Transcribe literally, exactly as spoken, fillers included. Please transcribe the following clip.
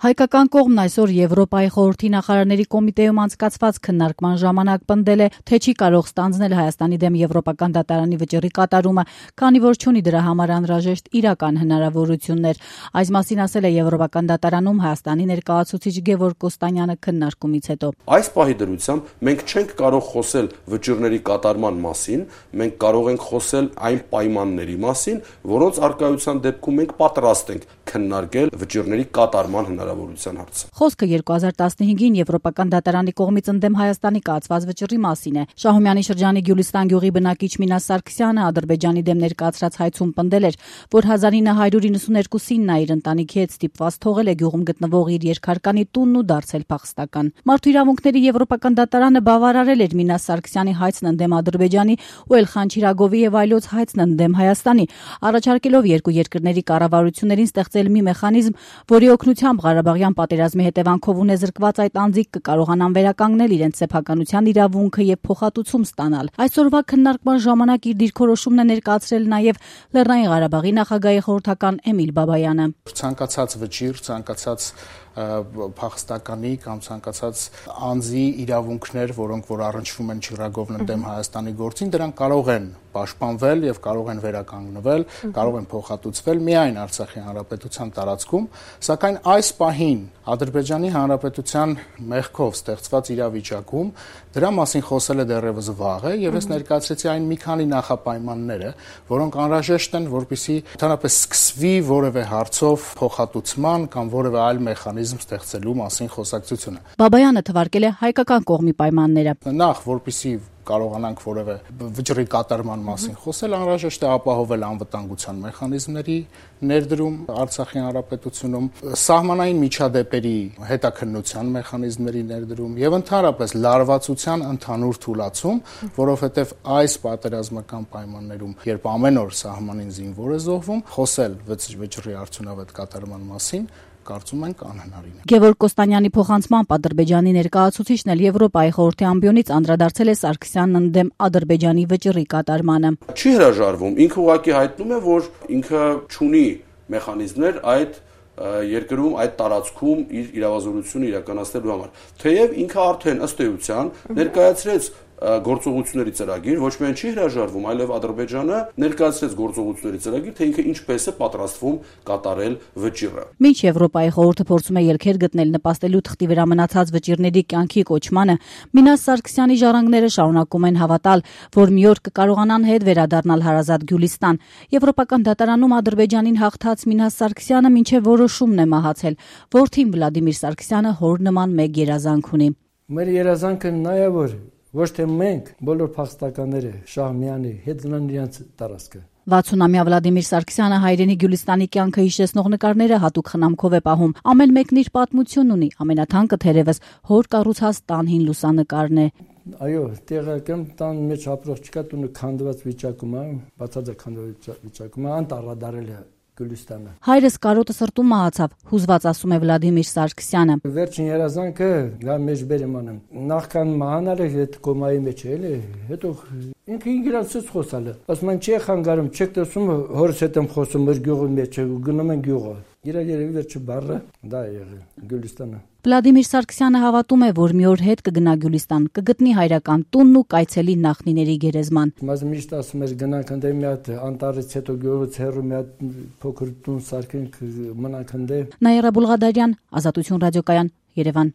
Հայկական կողմն այսօր Եվրոպայի խորհրդի նախարարների կոմիտեում անցկացված քննարկման ժամանակ պնդել է, թե չի կարող ստանձնել Հայաստանի դեմ Եվրոպական դատարանի վճռի կատարումը, քանի որ չունի դրա համար անհրաժեշտ իրական հնարավորություններ։ Այս մասին ասել է Եվրոպական դատարանում Հայաստանի ներկայացուցիչ Գևորգ Կոստանյանը քննարկումից հետո։ Այս պահի դրությամբ մենք չենք կարող խոսել վճռների կատարման մասին, մենք կարող ենք խոսել այն պայմանների մասին, որոնց առկայության դեպքում մենք պատրաստ ենք քննարկել վճռների կատարման հնարավորության հարցը։ Խոսքը երկու հազար տասնհինգին Եվրոպական դատարանի կողմից ընդդեմ Հայաստանի կայացված վճռի մասին է։ Շահումյանի շրջանի Գյուլիստան գյուղի բնակիչ Մինաս Սարգսյանը Ադրբեջանի դեմ ներկայացրած հայցում պնդել էր, որ հազար ինը հարյուր իննսուներկուսին նա իր ընտանիքի հետ ստիպված թողել է գյուղում գտնվող իր երկհարկանի տունն ու դարձել փախստական։ Մարդու իրավունքների Եվրոպական դատարանը բավարարել էր Մինաս Սարգսյանի հայցն ընդդեմ Ադրբեջանի ու Էլխան Չիրագովի եւ այլոց հայցն ընդդեմ Հայաստանի, առաջարկելով երկու երկրների կառավարություններին ստեղծել մի մեխանիզմ, որի օգնությամբ Ղարաբաղյան պատերազմի հետևանքով ունեզրկված այդ անձիկ կկարողանան վերականգնել իրենց սեփականության իրավունքը եւ փոխհատուցում ստանալ։ Այսօրվա քննարկման ժամանակ իր դիրքորոշումն է ներկայացրել նաեւ Լեռնային Ղարաբաղի նախագահի խորհրդական Էմիլ Բաբայանը։ Ցանկացած վճիռ, ցանկացած փախստականի կամ ցանկացած անձի իրավունքներ, որոնք որ առնչվում են Չիրագովն ընդդեմ Հայաստանի գործին, դրանք կարող են պաշտպանվել եւ կարող են վերականգնվել, կարող են փոխհատուցվել միայն Արցախի հանրապետության տարածքում, սակայն այս պահին Ադրբեջանի հանրապետության մեղքով ստեղծված իրավիճակում դրա մասին խոսելը դեռևս վաղ է եւ ես ներկայացրեցի այն մի քանի նախապայմանները, որոնք անհրաժեշտ են, որպեսզի ընդհանրապես սկսվի որևէ հարցով փոխհատուցման կամ որևէ այլ մեխանիզմ ստեղծելու մասին խոսակցությունը։ Բաբայանը թվարկել է հայկական կողմի պայմանները։ Նախ, որպեսզի կարողանանք որևէ վճռի կատարման մասին խոսել, անհրաժեշտ է ապահովել անվտանգության մեխանիզմների ներդրում Արցախի հանրապետությունում, սահմանային միջադեպերի հետաքննության մեխանիզմների ներդրում եւ ընդհանրապես լարվածության ընդհանուր թուլացում, որովհետեւ այս պատերազմական պայմաններում, երբ ամեն օր սահմանին զինվոր է զոհվում, խոսել վճռի արդյունավետ կատարման մասին կարծում ենք անհնարին է։ Գևորգ Կոստանյանի փոխանցմամբ Ադրբեջանի ներկայացուցիչն էլ Եվրոպայի խորհրդի ամբիոնից անդրադարձել է Սարգսյանն ընդդեմ Ադրբեջանի վճռի կատարմանը։ Չի հրաժարվում, ինքը ուղղակի հայտնում է, որ ինքը չունի մեխանիզմներ այդ երկրում, այդ տարածքում իր իրավազորությունը իրականացնելու համար։ Թեև ինքը արդեն ըստ էության ներկայացրեց գործողությունների ծրագիր, ոչ միայն չի հրաժարվում, այլև Ադրբեջանը ներկայացրեց գործողությունների ծրագիր, թե ինքը ինչպես է պատրաստվում կատարել վճիռը։ Մինչ Եվրոպայի խորհուրդը փորձում է ելքեր գտնել նպաստելու թղթի վրա մնացած վճիռների կյանքի կոչմանը, Մինաս Սարգսյանի ժառանգները շարունակում են հավատալ, որ մի օր կկարողանան հետ վերադառնալ հարազատ Գյուլիստան։ Եվրոպական դատարանում Ադրբեջանին հաղթած Մինաս Սարգսյանը մինչև որոշումն է մահացել։ Որդին Վլադիմիր Սարգսյանը հոր նման մեկ երազանք ունի։ Մեր երազանքը նա է, որ ոչ թե մենք, բոլոր փախստականները Շահումյանի հետ գնան իրենց տարածքը։ վաթսունամյա Վլադիմիր Սարգսյանը հայրենի Գյուլիստանի կյանքը հիշեցնող նկարները հատուկ խնամքով է պահում։ Ամեն մեկն իր պատմություն ունի, ամենաթանկը թերևս հոր կառուցած տան հին լուսանկարն է։ Այո, տեղական տան մեջ ապրող չկա, տունը քանդված վիճակում է, բացարձակ քանդված վիճակում է, անտառադարել է Գյուլիստանը։ Հայրս կարոտը սրտում մահացավ, հուզված ասում է Վլադիմիր Սարգսյանը։ Վերջին երազանքը գա մեջ բերեմ անեմ։ Նախքան մահանալը այդ կոմայի մեջ է, էլի, հետո ինքը ինգրանցից խոսալը։ Ասում են չի խանգարում, չեք տեսում հորս հետ եմ խոսում մեր գյուղի մեջ, գնում են գյուղը։ Իր երևի վերջը բառը դա է եղել Գյուլիստանը։ Վլադիմիր Սարգսյանը հավատում է, որ մի օր հետ կգնա Գյուլիստան, կգտնի հայրական տունն ու կայցելի նախնիների գերեզման։ Բայց միշտ ասում էր գնանք ընդե մի հատ անտառից հետո գյուղից հեռու մի հատ փոքր տուն սարքենք մնանք ընդե։ Նաիրա Բուլղադարյան, Ազատություն ռադիոկայան, Երևան։